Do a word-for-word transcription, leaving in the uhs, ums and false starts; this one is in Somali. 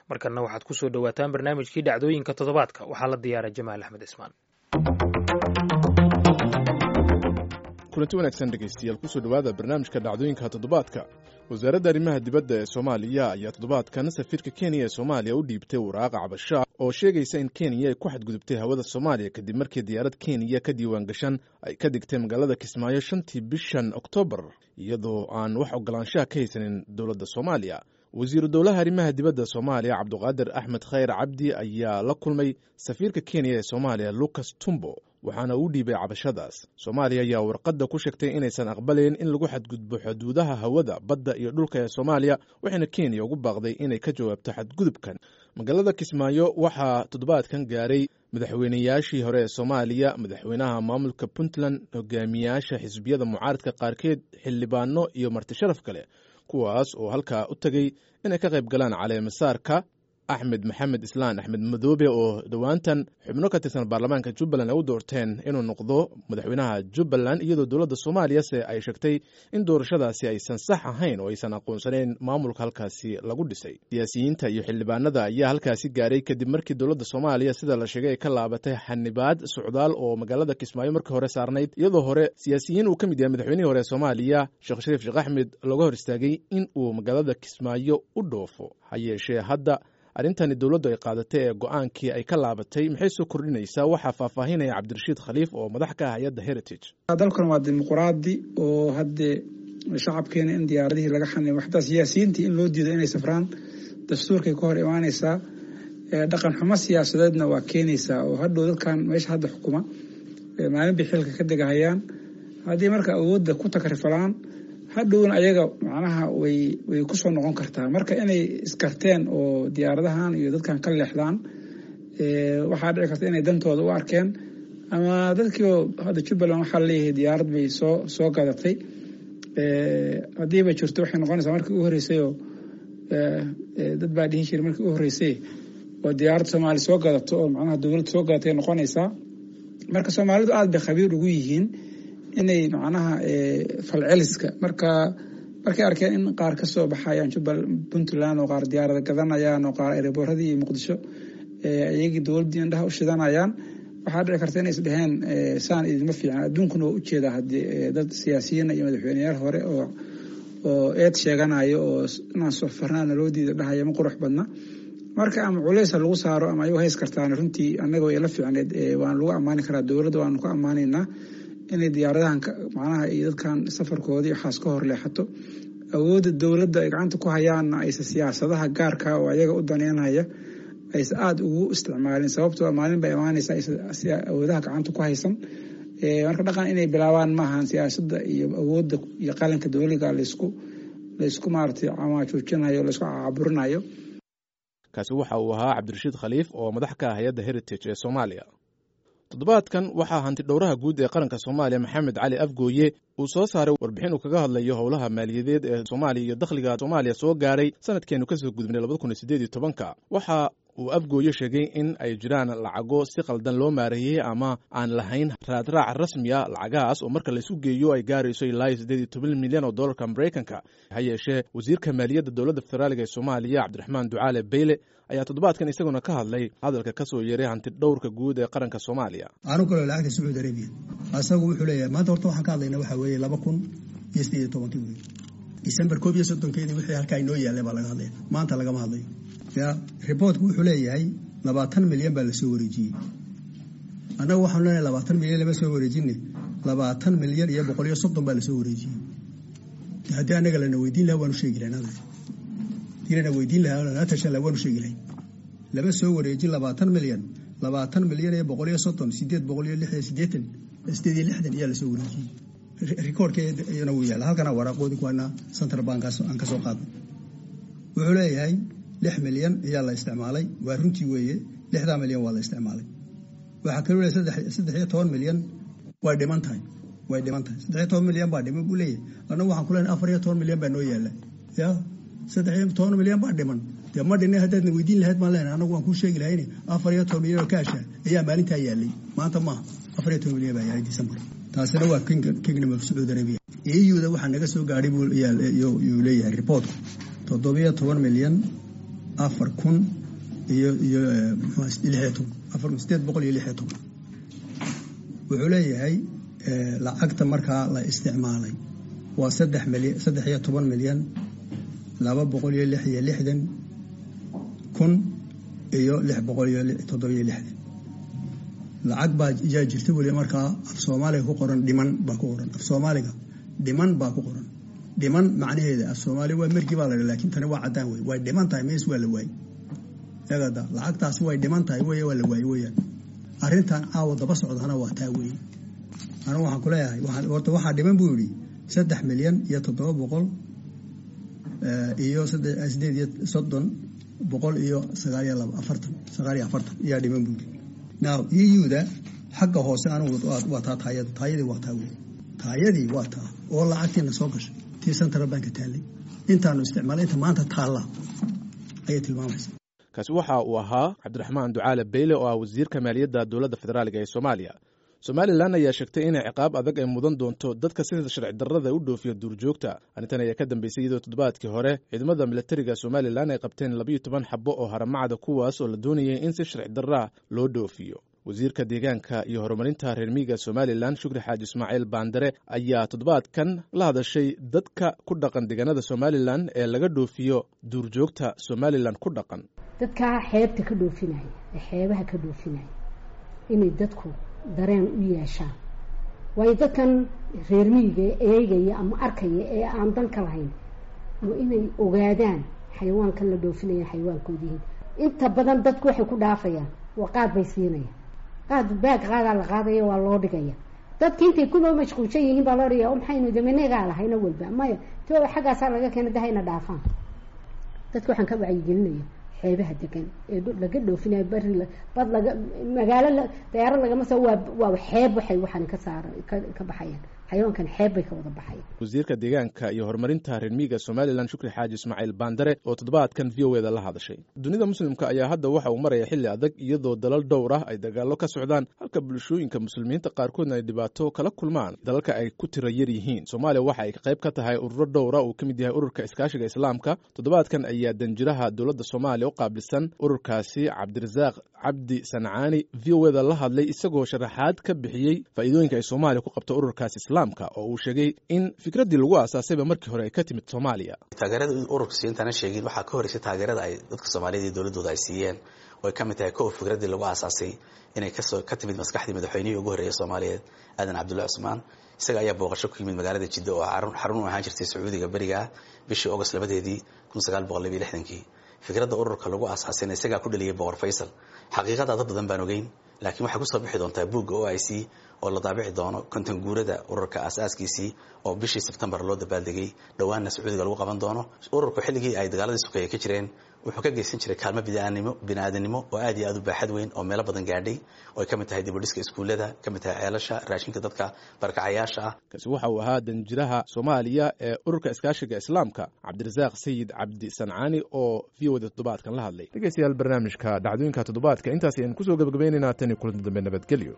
Markanna waxaad ku soo dhowaataan barnaamijkii dhacdooyinka toddobaadka. Waxaa la diyaaray Jamaal Axmed Ismaan. Kulanti wanaagsan, dhegaystayaal, kusoo dhowaada barnaamijka dhacdooyinka toddobaadka. Wasaaradda arrimaha dibadda ee Soomaaliya ayaa toddobaadkan safiirka Kenya ee Soomaaliya u dhiibtay waraaqa cabasho oo sheegaysa in Kenya ay ku xadgudubtay hawada Soomaaliya, kadib markii diyaarad Kenya ka diiwaan gashan ay ka digtay magaalada Kismaayo shantii bishan Oktoobar, iyadoo aan wax ogolaanshaha ka haysanin dowladda Soomaaliya. Wasiiru dowlaha arrimaha dibadda Soomaaliya, Cabduqaadir Axmed Khayr Cabdi, ayaa la kulmay safiirka Kenya ee Soomaaliya, Lucas Tumbo, waxaana uu dhiibay cabashadaas. Soomaaliya ayaa warqadda ku sheegtay inaysan aqbalayn in lagu xadgudbo xuduudaha hawada, badda iyo dhulka ee Soomaaliya, waxayna Kenya ugu baaqday inay ka jawaabto xadgudubkan. Magaalada Kismaayo waxaa toddobaadkan gaaray madaxweynayaashii hore ee Soomaaliya, madaxweynaha maamulka Puntland, hogaamiyaasha xisbiyada mucaaradka qaarkeed, xildhibaano iyo marti sharaf kale, kuwaas oo halkaa u tegey inay ka qayb galaan caleemasaarka Axmed Maxamed Islaan Axmed Madoobe, oo dhowaantan xubno ka tirsan baarlamaanka Jubbaland ay u doorteen inuu noqdo madaxweynaha Jubbaland, iyadoo dowladda Soomaaliya se ay sheegtay in doorashadaasi aysan sax ahayn oo aysan aqoonsanayn maamulka halkaasi lagu dhisay. Siyaasiyiinta iyo xildhibaanada ayaa halkaasi gaaray kadib markii dowladda Soomaaliya, sida la sheegay, ay ka laabatay xanibaad socdaal oo magaalada Kismaayo markii hore saarnayd, iyadoo hore siyaasiyiin uu ka mid yahay madaxweynihii hore ee Soomaaliya Sheekh Shariif Sheekh Axmed looga hor istaagay in uu magaalada Kismaayo u dhoofo. Ha yeeshee, hadda arrintani dowladdu ay qaadatay ee go-aankii ay ka laabatay maxay soo kordhinaysaa? Waxaa faahfaahinaya Cabdirashiid Khaliif oo madax ka ah hay-adda Heritage. Dalkan waa dimuqraadi, oo haddee shacabkeena in diyaaradihii laga xanimo, xataa siyaasiyiintii in loo diido inay safraan, dastuurkay ka hor imaanaysaa, dhaqan xumo siyaasadeedna waa keenaysaa, oo hadhow dadkan meesha hadda xukuma maalin bay xilka ka degahayaan. Haddii marka awoodda ku takrifalaan, hadhowna ayaga macnaha way way kusoo noqon kartaa. Marka inay iskarteen oo diyaaradahan iyo dadkan ka leexdaan, waxaa dhici karta inay dantooda u arkeen, ama dadkiio hadda Jubbaland waxaa laleeyahay diyaarad bay soo soo gadatay. Haddiiba jirto, waxay noqonaysaa markii u horreysayoo dad baa dhihi jiray markii u horreysay oo diyaarad Soomaali soo gadato oo macnaha dowlad soo gadatay noqonaysaa. Marka Soomaalidu aada bay khabiir ugu yihiin inay macnaha falceliska. Marka markay arkeen in qaar ka soo baxayaan Jubbal Puntland oo qaar diyaarada gadanayaan oo qaar erebooradii iyo Muqdisho iyagii dowladdii indhaha u shidanayaan, waxaa dhici karta inay isdheheen saan idinma fiican. Adduunkuna waa ujeedaa haddii dad siyaasiyiina iyo madaxweyneyaal hore oo oo eed sheeganayo oo inaan sofarnaana loo diida dhahaya, ma qurux badna. Marka ama culeysa lagu saaro ama ayago hays kartaan, runtii annaga way la fiicneed, waana lagu ammaani karaa dowladda, waanu ku ammaanaynaa inay diyaaradahan macnaha iyo dadkan safarkoodii waxaas ka hor leexato. Awoodda dowladda ay gacanta ku hayaanna aysa siyaasadaha gaarka oo ayaga u daneynaya aysa aada ugu isticmaalin, sababtoo maalin bay imaanaysa aysa awoodaha gacanta ku haysan. Marka dhaqan inay bilaabaan maahan siyaasadda iyo awoodda iyo qalinka dowliga laysku laysku maaragtay camaajuujinayo, laysku caburinayo. Kaasi waxa uu ahaa Cabdirashiid Khaliif oo madax ka ah hay-adda Heritage ee Soomaaliya. Toddobaadkan waxaa hanti dhowraha guud ee qaranka Soomaaliya, Maxamed Cali Afgooye, uu soo saaray warbixin uu kaga hadlayo howlaha maaliyadeed ee Soomaaliya iyo dakhliga Soomaaliya soo gaaray sanadkeenu kasoo gudubnay labada kun iyo siddeed iyo tobanka. Waxa uu Afgooye sheegay in ay jiraan lacago si qaldan loo maareeyey ama aan lahayn raadraac rasmiya, lacagahaas oo marka laisu geeyo ay gaarayso ilaa iyo siddeed iyo toban milyan oo dollarka Maraykanka. Ha yeeshee, wasiirka maaliyadda dowladda federaaliga ee Soomaaliya, Cabdiraxmaan Ducaale Beyle, ayaa toddobaadkan isaguna ka hadlay hadalka ka soo yeeray hanti dhowrka guud ee qaranka Soomaaliya. Anu kaloo lacagta Sacuudi Arabiya asagu wuxuu leeyahay maanta horta waxaan ka hadlaynaa waxaa weeye laba kun iyo siddeed iyo tobankii wey, December koob iyo soddonkeedii wixii halkaa inoo yaallay baa laga hadlaya, maanta lagama hadlayo. Ya reportku wuxuu leeyahay labaatan milyan baa lasoo wareejiyey. Annagu waxaanu leenahay labaatan milyan lama soo wareejine, labaatan milyan iyo boqol iyo soddon baa lasoo wareejiyey. Haddii annaga lana weydiin lahaa, waanu sheegi lahayn. Haddii lana weydiin lahaa, lana tashan lahaa, waanu sheegi lahayn. Lama soo wareejin labaatan milyan, labaatan milyan iyo boqol iyo soddon, sideed boqol iyo lix iyo siddeetan, sideed iyo lixdan ayaa lasoo wareejiyey. Recordkeedana wuu yaalla halkana, waraaqoodii kuwaana Central Bankaas aan ka soo qaadnay. Wuxuu leeyahay lix milyan ayaa la isticmaalay. Waa runtii weeye, lixdaa milyan waa la isticmaalay. Waxaa kaloo leeyahay saddex saddex iyo toban milyan way dhiman tahay, way dhiman tahay. Saddex iyo toban milyan baa dhiman buu leeyahay. Annagu waxaan ku leenahay afar iyo toban milyan baa noo yaalla. Ya saddex iyo toban milyan baa dhiman dee ma dhinay. Haddaadna weydiin lahayd baan leenahay, annagu waan kuu sheegi lahayne, afar iyo toban milyan oo kaasha ayaa maalintaa yaallay, maanta maaha. Afar iyo toban milyan baa yaallay December. Taasina waa Kingdom of Sacuudi Arabia. E U-da waxaa naga soo gaadhay buu yuu leeyahay reportku toddobiyo toban milyan. afar kun iyo iyo lix iyo toban afar kun sideed boqol iyo lix iyo toban. Wuxuu leeyahay lacagta markaa la isticmaalay waa saddex milyan saddex iyo toban milyan laba boqol iyo lix iyo lixdan kun iyo lix boqol iyo toddoba iyo lixdan. Lacag baa yaa jirta weli markaa af Soomaaliga ku qoran dhiman baa ku qoran, af Soomaaliga dhiman baa ku qoran. Dhiman macnaheeda af Soomaaliga waa markii baa la yidhi, laakiin tani waa caddaan wey, way dhiman tahay, mees waa la waayey. Eegada lacagtaasi way dhiman tahay wey, waa la waayey weeyaan. Arrintan caawa daba socdana waa taa weeye. Anigu waxaan ku leeyahay horta waxaa dhiman buu yidhi saddex milyan iyo toddoba boqol iyo sideed iyo soddon boqol iyo sagaal iyo laba afartan sagaal iyo afartan ayaa dhiman buu yidhi. Now E U-da xagga hoose anigu waa taa taayadu, taayadii waa taa wey, taayadii waa taa oo lacagtiina soo gashay tii Central Bank taallay intaanu isticmaalay inta maanta taalla ayay tilmaamaysaa. Kaasi waxa uu ahaa Cabdiraxmaan Ducaale Beyle oo ah wasiirka maaliyadda dowladda federaaliga ee Soomaaliya. Somalilan ayaa sheegtay inay ciqaab adag ay mudan doonto dadka sida sharci darrada u dhoofiya duurjoogta. Arrintan ayaa ka dambeysay iyadoo toddobaadkii hore ciidamada militariga Somalilan ay qabteen labiyo toban xabo oo haramacda, kuwaas oo la doonayay in si sharci darraa loo dhoofiyo. Wasiirka deegaanka iyo horumarinta reer miyiga Somalilan Shukri Xaaji Ismaaciil Baandare ayaa toddobaadkan la hadashay dadka ku dhaqan deegaanada Somalilan ee laga dhoofiyo duurjoogta Somalilan ku dhaqan. Dadka xeebta ka dhoofinaya ee xeebaha ka dhoofinaya inay dadku dareen u yeeshaan, waayo dadkan reer miyiga eegaya ama arkaya ee aan dan ka lahayn waa inay ogaadaan xayawaankan la dhoofinaya xayawaankood yihiin. Inta badan dadku waxay ku dhaafayaan waa qaad bay siinayaan, qaad baag qaadaa la qaadaya waa loo dhigaya. Dadki intay kuba mashquulsan yihiin baa loo dhigaya, maxaynu damenegaa lahayna walba maya to xaggaasaa laga keena dahayna dhaafaan. Dadka waxaan ka wacyigelinaya xeebaha degan ee laga dhoofinayo bari bad laga magaalo dayaarad lagama soo waa waa xeeb waxay waxaan ka saar ka baxayaan xayawaankan xeeb bay ka wada baxayaan. Wasiirka deegaanka iyo horumarinta reer miyiga Somalilan Shukri Xaaji Ismaaciil Baandare oo toddobaadkan V O A da la hadashay. Dunida muslimka ayaa hadda waxa uu maraya xilli adag iyadoo dalal dhowr ah ay dagaallo ka socdaan, halka bulshooyinka muslimiinta qaarkoodna ay dhibaato kala kulmaan dalalka ay ku tira yar yihiin. Soomaaliya waxa ay qayb ka tahay ururo dhowr ah uu ka mid yahay ururka iskaashiga islaamka. Toddobaadkan ayaa danjiraha dowladda Soomaaliya u qaabilsan ururkaasi Cabdirasaaq Cabdi Sancaani V O A da la hadlay, isagoo sharaxaad ka bixiyey faa'iidooyinka ay Soomaaliya ku qabto ururkaas islaamka oo uu sheegay in fikraddii lagu aasaasayba markii hore ay ka timid Soomaaliya. Taageerada ururka siintaana sheegin waxaa ka horeysay taageerada ay dadka Soomaaliyeed iyo dowladooda ay siiyeen oo ay ka mid tahay kow fikraddii lagu aasaasay inay kasoo ka timid maskaxdii madaxweynihii ugu horreeyay Soomaaliyeed Aadan Cabdulle Cusmaan. Isaga ayaa booqasho ku yimid magaalada Jidda oo xarun u ahaan jirtay Sacuudiga beriga bishii August labadeedii kun sagaal boqol laba iyo lixdankii. Fikradda ururka lagu aasaasayna isagaa ku dhaliyay Boqor Faysal. Xaqiiqada dad badan baan ogeyn, laakiin waxay ku soo bixi doontaa buugga O I C oo la daabici doono konton guurada ururka aasaaskiisii oo bishii Sebtembar loo dabaaldegay, dhowaanna Sacuudiga lagu qaban doono. Ururku xilligii ay dagaaladii sokeeye ka jireen wuxuu ka geysan jiray kaalmo bini'aadanimo bini'aadanimo oo aad iyo aad u baaxad weyn oo meelo badan gaadhay, oo ay ka mid tahay dib u dhiska iskuullada, ka mid tahay ceelasha, raashinka dadka barakacayaasha ah. Kaasi waxa uu ahaa danjiraha Soomaaliya ee ururka iskaashiga islaamka Cabdirasaaq Sayid Cabdi Sancaani oo V O da toddobaadkan la hadlay. Dhegeystayaal, barnaamijka dhacdooyinka toddobaadka intaas ayaan kusoo gabagabaynaynaa. Tan iyo kulanti dambe, nabadgelyo.